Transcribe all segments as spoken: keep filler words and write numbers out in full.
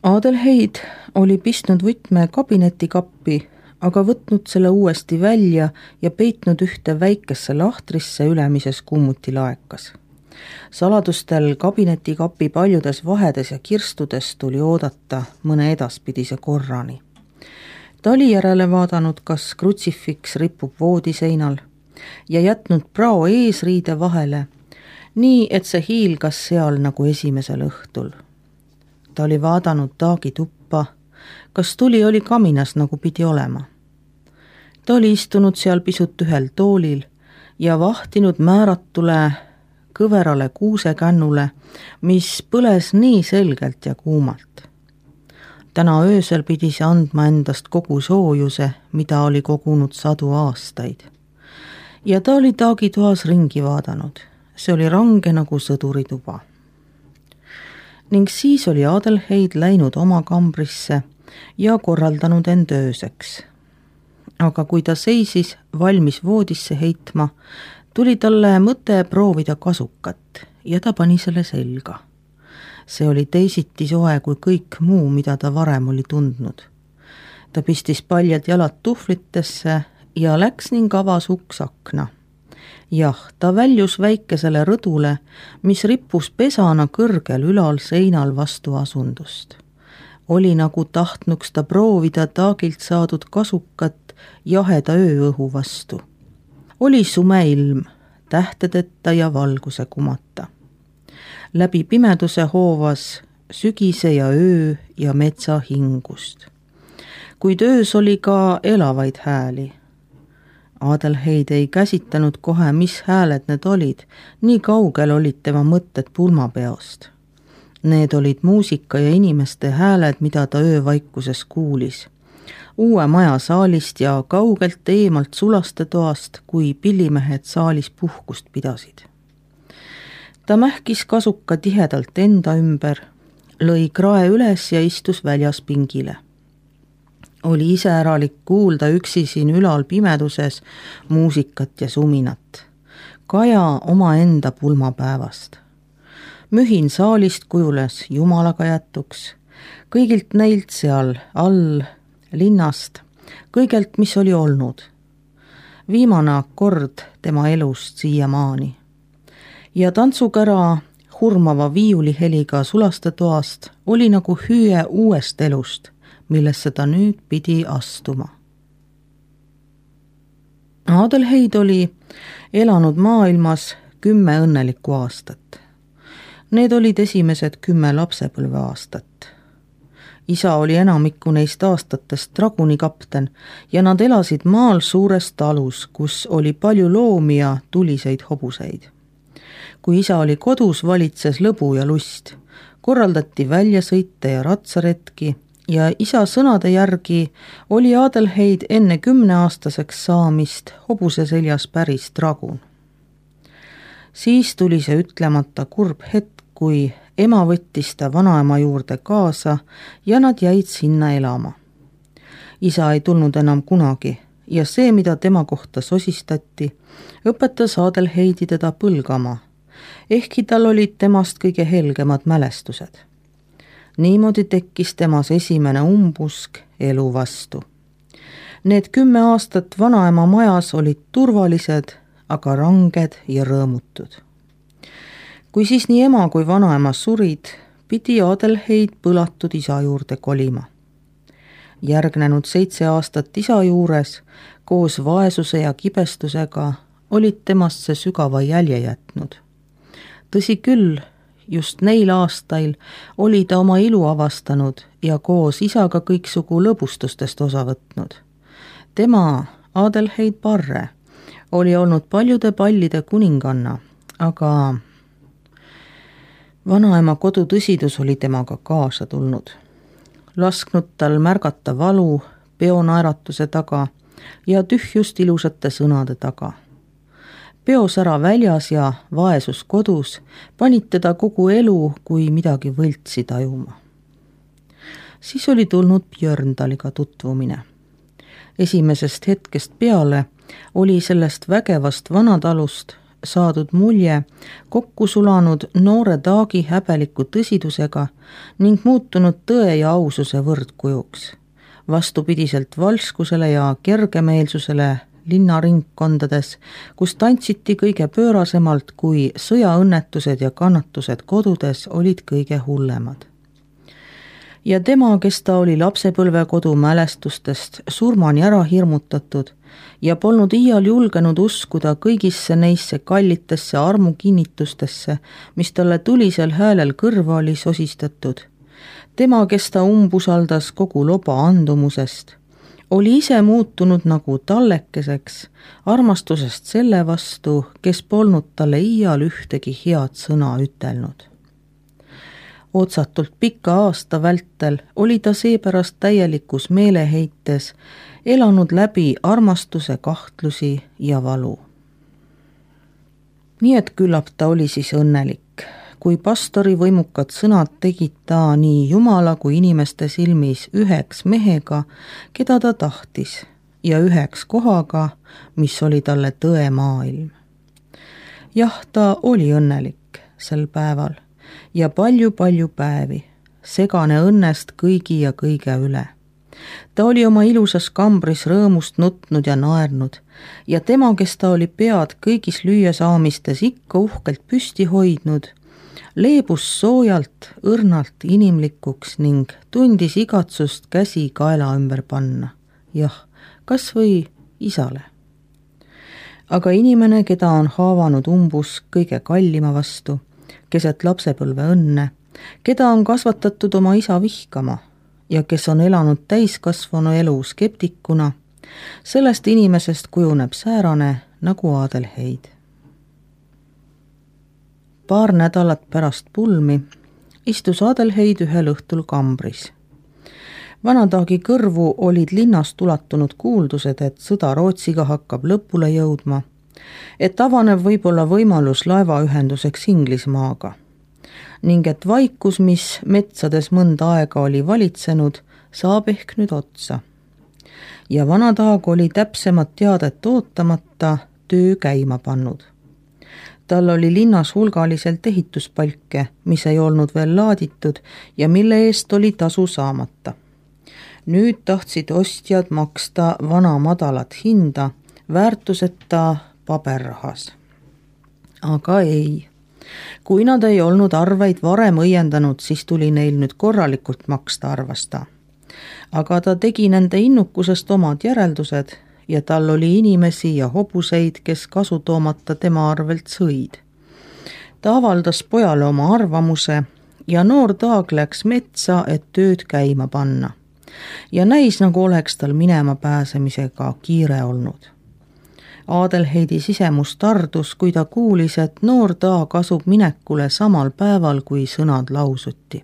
Adelheid oli pistnud võtme kabinetikappi, aga võtnud selle uuesti välja ja peitnud ühte väikesse lahtrisse ülemises kummutilaekas. Saladustel kabinetikapi paljudes vahedes ja kirstudes tuli oodata mõne edaspidise korrani. Ta oli järele vaadanud, kas krutsifiks ripub voodiseinal ja jätnud prao eesriide vahele, nii et see hiilgas seal nagu esimesel õhtul. Ta oli vaadanud Taagi tuppa, kas tuli oli kaminas nagu pidi olema. Ta oli istunud seal pisut ühel toolil ja vahtinud määratule kõverale kuusekännule, mis põles nii selgelt ja kuumalt. Täna öösel pidi see andma endast kogu soojuse, mida oli kogunud sadu aastaid. Ja ta oli Taagi toas ringi vaadanud. See oli range nagu sõdurituba. Ning siis oli Adelheid läinud oma kambrisse ja korraldanud end ööseks. Aga kui ta seisis valmis voodisse heitma, tuli talle mõte proovida kasukat ja ta pani selle selga. See oli teisiti soe kui kõik muu, mida ta varem oli tundnud. Ta pistis paljad jalad tuhvlitesse ja läks ning avas uks akna. Jah, ta väljus väikesele rõdule, mis rippus pesana kõrgel ülal seinal vastu asundust. Oli nagu tahtnuks ta proovida Taagilt saadud kasukat jaheda ööõhu vastu. Oli sume ilm, tähtedeta ja valguse kumata. Läbi pimeduse hoovas sügise ja öö ja metsa hingust. Kuid öös oli ka elavaid hääli. Adelheid ei käsitanud kohe, mis hääled need olid, nii kaugel olid tema mõtted pulmapeost. Need olid muusika ja inimeste hääled, mida ta öövaikuses kuulis. Uue maja saalist ja kaugelt eemalt sulaste toast, kui pillimehed saalis puhkust pidasid. Ta mähkis kasuka tihedalt enda ümber, lõi krae üles ja istus väljas pingile. Oli iseäralik kuulda üksi siin ülal pimeduses muusikat ja suminat. Kaja oma enda pulmapäevast. Mühin saalist kujules jumalaga jätuks. Kõigilt neilt seal all linnast, kõigelt, mis oli olnud. Viimane akord tema elust siiamaani. Ja tantsukära hurmava viiuliheliga sulaste toast oli nagu hüüe uuest elust, millesse ta nüüd pidi astuma. Adelheid oli elanud maailmas kümme õnnelikku aastat. Need olid esimesed kümme lapsepõlve aastat. Isa oli enamikku neist aastatest dragunikapten ja nad elasid maal suures talus, kus oli palju loomi ja tuliseid hobuseid. Kui isa oli kodus, valitses lõbu ja lust, korraldati väljasõite ja ratsaretki, ja isa sõnade järgi oli Adelheid enne kümneaastaseks saamist hobuse seljas päris dragun. Siis tuli see ütlemata kurb hetk, kui ema võttis ta vanaema juurde kaasa ja nad jäid sinna elama. Isa ei tulnud enam kunagi ja see, mida tema kohta sosistati, õpetas Adelheidi teda põlgama, ehkki tal olid temast kõige helgemad mälestused. Niimoodi tekkis temas esimene umbusk elu vastu. Need kümme aastat vanaema majas olid turvalised, aga ranged ja rõõmutud. Kui siis nii ema kui vanaema surid, pidi Adelheid põlatud isa juurde kolima. Järgnenud seitse aastat isa juures, koos vaesuse ja kibestusega, olid temasse sügava jälje jätnud. Tõsi küll, just neil aastail oli ta oma ilu avastanud ja koos isaga kõiksugu lõbustustest osa võtnud. Tema, Adelheid Parre, oli olnud paljude pallide kuninganna, aga vanaema kodu tõsidus oli temaga kaasa tulnud. Lasknud tal märgata valu peonaeratuse taga ja tühjust ilusate sõnade taga. Peosära väljas ja vaesus kodus panid teda kogu elu kui midagi võltsi tajuma. Siis oli tulnud Björndaliga tutvumine. Esimesest hetkest peale oli sellest vägevast vanatalust saadud mulje kokku sulanud noore Taagi häbeliku tõsidusega ning muutunud tõe ja aususe võrdkujuks. Vastupidiselt valskusele ja kergemeelsusele linnaringkondades, kus tantsiti kõige pöörasemalt, kui sõjaõnnetused ja kannatused kodudes olid kõige hullemad. Ja tema, kes ta oli lapsepõlvekodu mälestustest surmani ära hirmutatud ja polnud iial julgenud uskuda kõigisse neisse kallitesse armukinnitustesse, mis talle tulisel häälel kõrva oli sosistatud. Tema, kes ta umbusaldas kogu loba andumusest, oli ise muutunud nagu tallekeseks armastusest selle vastu, kes polnud talle iial ühtegi head sõna ütelnud. Otsatult pika aasta vältel oli ta seepärast täielikus meeleheites elanud läbi armastuse kahtlusi ja valu. Nii et küllap ta oli siis õnnelik, kui pastori võimukad sõnad tegid ta nii Jumala kui inimeste silmis üheks mehega, keda ta tahtis, ja üheks kohaga, mis oli talle tõe maailm. Jah, ta oli õnnelik sel päeval ja palju-palju päevi, segane õnnest kõigi ja kõige üle. Ta oli oma ilusas kambris rõõmust nutnud ja naernud ja tema, kes ta oli pead kõigis lüüasaamistes ikka uhkelt püsti hoidnud, leebus soojalt, õrnalt inimlikuks ning tundis igatsust käsi kaela ümber panna. Jah, kas või isale. Aga inimene, keda on haavanud umbus kõige kallima vastu, keset lapsepõlve õnne, keda on kasvatatud oma isa vihkama ja kes on elanud täiskasvanu elu skeptikuna, sellest inimesest kujuneb säärane nagu Adelheid. Paar nädalat pärast pulmi istus Adelheid ühel õhtul kambris. Vanataagi kõrvu olid linnast ulatunud kuuldused, et sõda Rootsiga hakkab lõpule jõudma, et avaneb võib-olla võimalus laevaühenduseks Inglismaaga ning et vaikus, mis metsades mõnda aega oli valitsenud, saab ehk nüüd otsa. Ja Vanataag oli täpsemat teadet ootamata töö käima pannud. Tal oli linnas hulgaliselt ehituspalke, mis ei olnud veel laaditud ja mille eest oli tasu saamata. Nüüd tahtsid ostjad maksta vana madalat hinda, väärtuseta paberrahas. Aga ei. Kui nad ei olnud arveid varem õiendanud, siis tuli neil nüüd korralikult maksta, arvas ta. Aga ta tegi nende innukusest omad järeldused ja tal oli inimesi ja hobuseid, kes kasu toomata tema arvelt sõid. Ta avaldas pojale oma arvamuse ja noor Taag läks metsa, et tööd käima panna. Ja näis, nagu oleks tal minema pääsemisega kiire olnud. Adelheidi sisemus tardus, kui ta kuulis, et noor Taag asub minekule samal päeval, kui sõnad lausuti.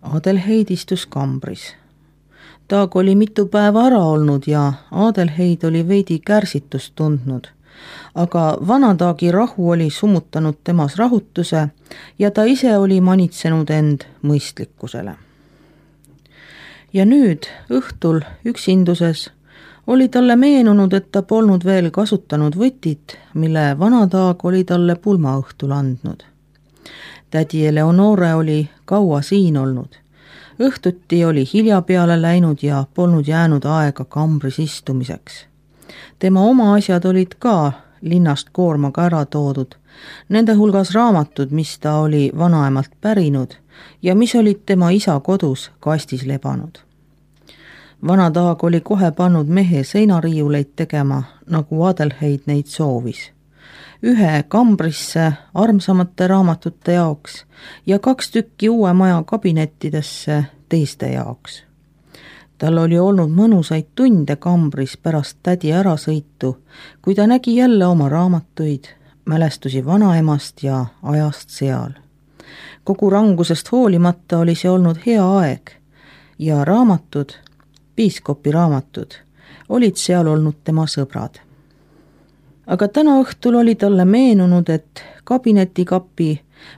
Adelheid istus kambris. Taag oli mitu päeva ära olnud ja Adelheid oli veidi kärsitust tundnud, aga Vanataagi rahu oli summutanud temas rahutuse ja ta ise oli manitsenud end mõistlikkusele. Ja nüüd õhtul üksinduses oli talle meenunud, et ta polnud veel kasutanud võtit, mille Vanataag oli talle pulmaõhtul andnud. Tädi Eleonore oli kaua siin olnud. Õhtuti oli hilja peale läinud ja polnud jäänud aega kambris istumiseks. Tema oma asjad olid ka linnast koormaga ära toodud, nende hulgas raamatud, mis ta oli vanaemalt pärinud ja mis olid tema isa kodus kastis lebanud. Vanataag oli kohe pannud mehe seinariiuleid tegema, nagu Adelheid neid soovis. Ühe kambrisse armsamate raamatute jaoks ja kaks tükki uue maja kabinettidesse teiste jaoks. Tal oli olnud mõnusaid tunde kambris pärast tädi ärasõitu, kui ta nägi jälle oma raamatuid, mälestusi vanaemast ja ajast seal. Kogu rangusest hoolimata oli see olnud hea aeg ja raamatud, piiskopi raamatud, olid seal olnud tema sõbrad. Aga täna õhtul oli talle meenunud, et kabinetikapi,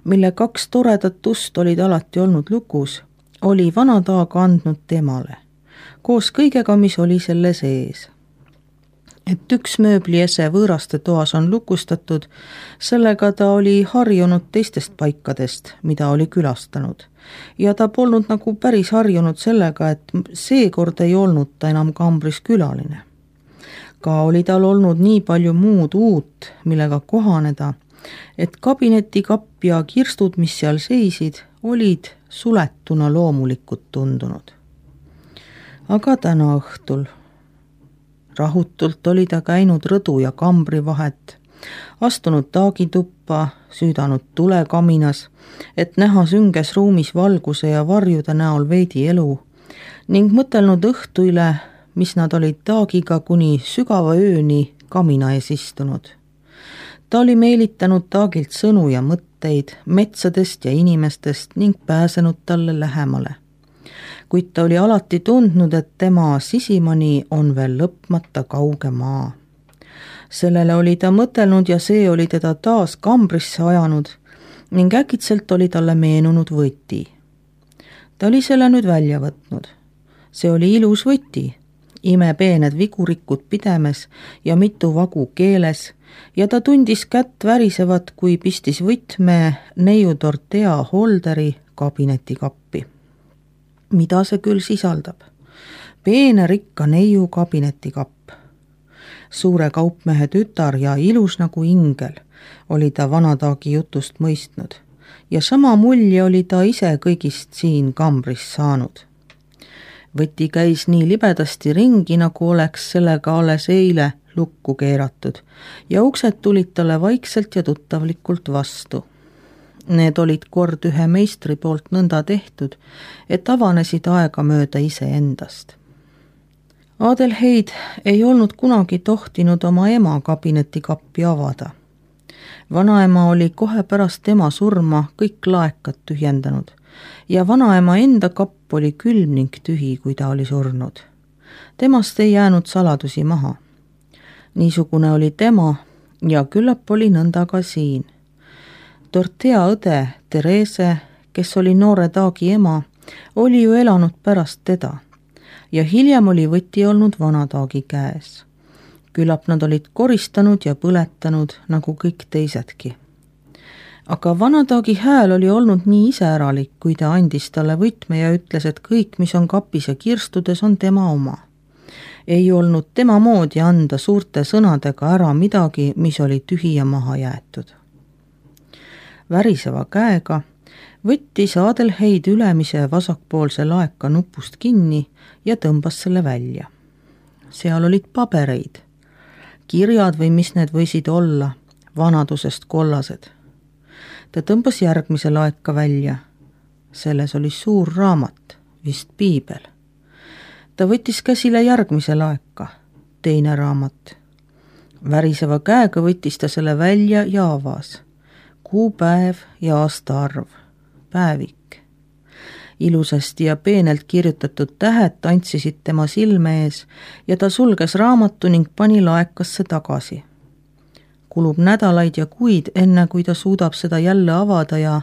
mille kaks toredat ust olid alati olnud lukus, oli Vanataag andnud temale, koos kõigega, mis oli selle sees. et üks mööbliese võõraste toas on lukustatud, sellega ta oli harjunud teistest paikadest, mida oli külastanud. Ja ta polnud nagu päris harjunud sellega, et seekord ei olnud ta enam kambris külaline. Ka oli tal olnud nii palju muud uut, millega kohaneda, et kabinetikapp ja kirstud, mis seal seisid, olid suletuna loomulikud tundunud. Aga täna õhtul rahutult oli ta käinud rõdu ja kambri vahet, astunud taagituppa, süüdanud tulekaminas, et näha sünges ruumis valguse ja varjude näol veidi elu, ning mõtelnud õhtu üle, mis nad olid taagiga kuni sügava ööni kamina ees istunud. Ta oli meelitanud taagilt sõnu ja mõtteid metsadest ja inimestest ning pääsenud talle lähemale. Kuid ta oli alati tundnud, et tema sisimani on veel lõpmata kauge maa. Sellele oli ta mõtelnud ja see oli teda taas kambrisse ajanud ning äkitselt oli talle meenunud võti. Ta oli selle nüüd välja võtnud. See oli ilus võti, imepeened vigurikud pidemes ja mitu vagu keeles ja ta tundis kätt värisevat, kui pistis võtme neiu Dorothea Holderi kabinetikappi. Mida see küll sisaldab? Peene rikka neiu kabinetikapp. Suure kaupmehe tütar ja ilus nagu ingel oli ta vanataagi jutust mõistnud ja sama mulje oli ta ise kõigist siin kambris saanud. Võti käis nii libedasti ringi, nagu oleks sellega alles eile lukku keeratud ja uksed tulid talle vaikselt ja tuttavlikult vastu. Need olid kord ühe meistri poolt nõnda tehtud, et avanesid aega mööda ise endast. Adelheid ei olnud kunagi tohtinud oma ema kabinetikappi avada. Vanaema oli kohe pärast tema surma kõik laekad tühjendanud ja vanaema enda kapp oli külm ning tühi, kui ta oli surnud. Temast ei jäänud saladusi maha. Niisugune oli tema ja küllap oli nõnda ka siin. Dorothea õde Therese, kes oli noore taagi ema, oli ju elanud pärast teda ja hiljem oli võti olnud vanataagi käes. Küllap nad olid koristanud ja põletanud nagu kõik teisedki. Aga vanataagi hääl oli olnud nii iseäralik, kui ta andis talle võtme ja ütles, et kõik, mis on kapis ja kirstudes, on tema oma. Ei olnud tema moodi anda suurte sõnadega ära midagi, mis oli tühi ja maha jäetud. Väriseva käega võttis Adelheid ülemise vasakpoolse laeka nupust kinni ja tõmbas selle välja. Seal olid pabereid, kirjad või mis need võisid olla, vanadusest kollased. Ta tõmbas järgmise laeka välja. Selles oli suur raamat, vist piibel. Ta võttis käsile järgmise laeka, teine raamat. Väriseva käega võttis ta selle välja ja avas. Kuupäev ja aastaarv, päevik. Ilusasti ja peenelt kirjutatud tähed tantsisid tema silme ees ja ta sulges raamatu ning pani laekasse tagasi. Kulub nädalaid ja kuid, enne kui ta suudab seda jälle avada ja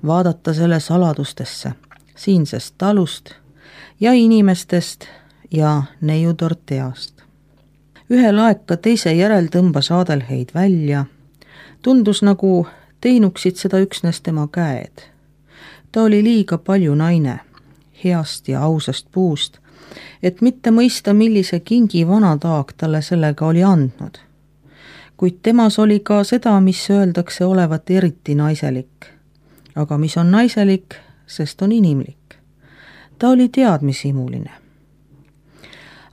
vaadata selle saladustesse, siinsest talust ja inimestest ja neiu Dorotheast. Ühe laeka teise järel tõmbas Adelheid välja. Tundus nagu teinuksid seda üksnes tema käed. Ta oli liiga palju naine, heast ja ausast puust, et mitte mõista, millise kingi vanataag talle sellega oli andnud. Kuid temas oli ka seda, mis öeldakse olevat eriti naiselik. Aga mis on naiselik, sest on inimlik. Ta oli teadmisimuline.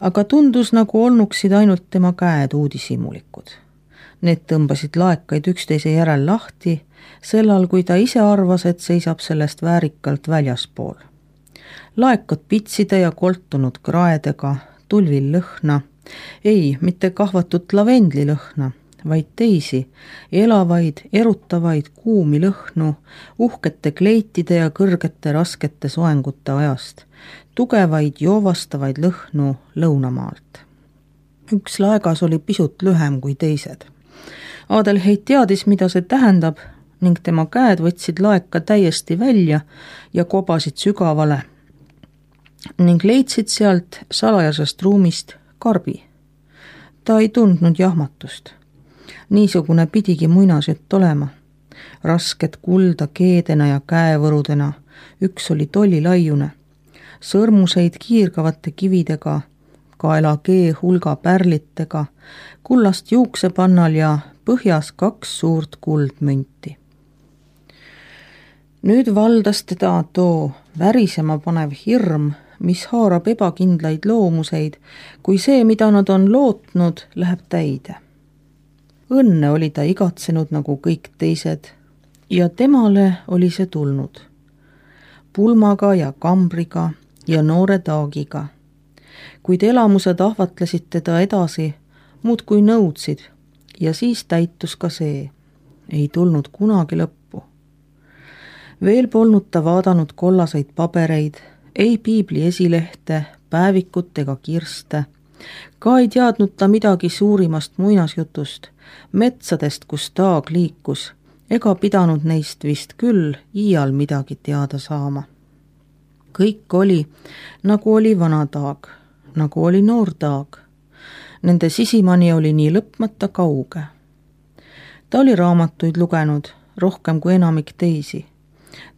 Aga tundus, nagu olnuksid ainult tema käed uudisimulikud. Need tõmbasid laekaid üksteise järel lahti, sellal kui ta ise arvas, et seisab sellest väärikalt väljaspool. Laekad pitside ja koltunud kraedega, tulvil lõhna, ei, mitte kahvatut lavendli lõhna, vaid teisi, elavaid, erutavaid kuumi lõhnu, uhkete kleitide ja kõrgete raskete soengute ajast, tugevaid joovastavaid lõhnu lõunamaalt. Üks laegas oli pisut lühem kui teised. Adelheid teadis, mida see tähendab ning tema käed võtsid laeka täiesti välja ja kobasid sügavale ning leidsid sealt salajasest ruumist karbi. Ta ei tundnud jahmatust. Niisugune pidigi muinasjutt olema. Rasked kulda keedena ja käevõrudena, üks oli tollilaiune, sõrmuseid kiirgavate kividega, kaelakee hulga pärlitega, kullast juuksepannal ja põhjas kaks suurt kuldmünti. Nüüd valdas teda too värisema panev hirm, mis haarab ebakindlaid loomuseid, kui see, mida nad on lootnud, läheb täide. Õnne oli ta igatsenud nagu kõik teised ja temale oli see tulnud. Pulmaga ja kambriga ja noore taagiga. Kuid elamused ahvatlesid teda edasi, muud kui nõudsid, ja siis täitus ka see. Ei tulnud kunagi lõppu. Veel polnud ta vaadanud kollaseid pabereid, ei piibli esilehte, päevikut ega kirste. Ka ei teadnud ta midagi suurimast muinasjutust, metsadest, kus taag liikus, ega pidanud neist vist küll iial midagi teada saama. Kõik oli, nagu oli vana taag, nagu oli noor taag. Nende sisimani oli nii lõpmata kauge. Ta oli raamatuid lugenud, rohkem kui enamik teisi.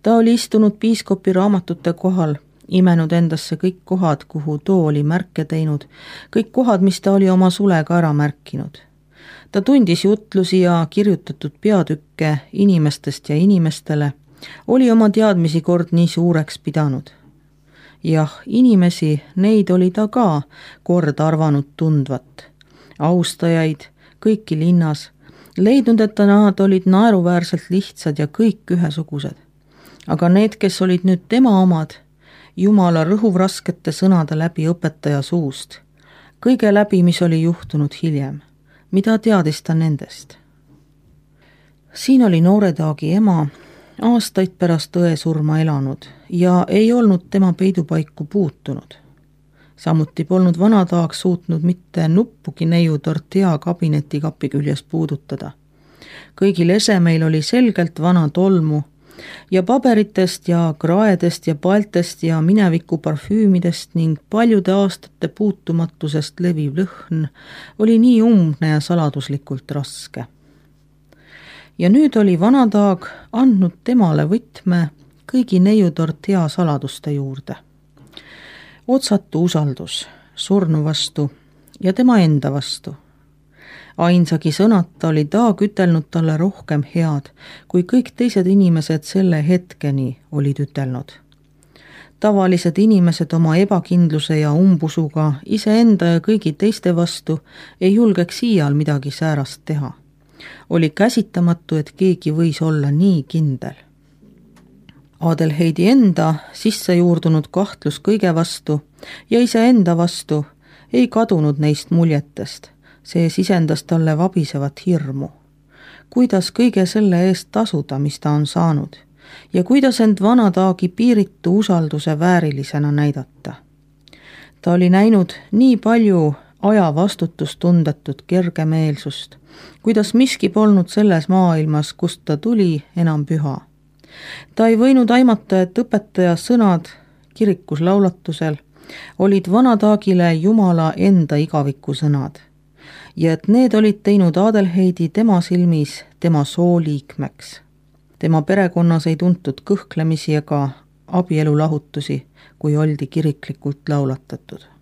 Ta oli istunud piiskopi raamatute kohal, imenud endasse kõik kohad, kuhu too oli märke teinud, kõik kohad, mis ta oli oma sulega ära märkinud. Ta tundis jutlusi ja kirjutatud peatükke inimestest ja inimestele, oli oma teadmisi kord nii suureks pidanud. Jah, inimesi, neid oli ta ka kord arvanud tundvat. Austajaid, kõiki linnas, leidnud, et nad olid naeruväärselt lihtsad ja kõik ühesugused. Aga need, kes olid nüüd tema omad, Jumala rõhuvraskete sõnade läbi õpetaja suust, kõige läbi, mis oli juhtunud hiljem, mida teadis ta nendest. Siin oli noore taagi ema, aastaid pärast õe surma elanud ja ei olnud tema peidupaiku puutunud. Samuti polnud vana taag suutnud mitte nuppugi neiu tortilla kabineti kapi küljes puudutada. Kõigil esemeil oli selgelt vana tolmu ja paberitest ja kraedest ja paltest ja mineviku parfüümidest ning paljude aastate puutumatusest leviv lõhn oli nii umbne ja saladuslikult raske. Ja nüüd oli vana taag andnud temale võtme kõigi neiu tortilla saladuste juurde. Otsatu usaldus surnu vastu ja tema enda vastu. Ainsagi sõnata oli taag ütelnud talle rohkem head, kui kõik teised inimesed selle hetkeni olid ütelnud. Tavalised inimesed oma ebakindluse ja umbusuga iseenda ja kõigi teiste vastu ei julgeks iial midagi säärast teha. Oli käsitamatu, et keegi võis olla nii kindel. Adelheidi enda sisse juurdunud kahtlus kõige vastu ja iseenda vastu ei kadunud neist muljetest. See sisendas talle vabisevat hirmu. Kuidas kõige selle eest tasuda, mis ta on saanud, ja kuidas end vana taagi piiritu usalduse väärilisena näidata. Ta oli näinud nii palju aja vastutustundetut kergemeelsust, kuidas miski polnud selles maailmas, kust ta tuli, enam püha. Ta ei võinud aimata, et õpetaja sõnad kirikus laulatusel olid vana taagile Jumala enda igaviku sõnad ja et need olid teinud Adelheidi tema silmis tema sooliikmeks. Tema perekonnas ei tuntud kõhklemisi ega abielulahutusi, kui oldi kiriklikult laulatatud.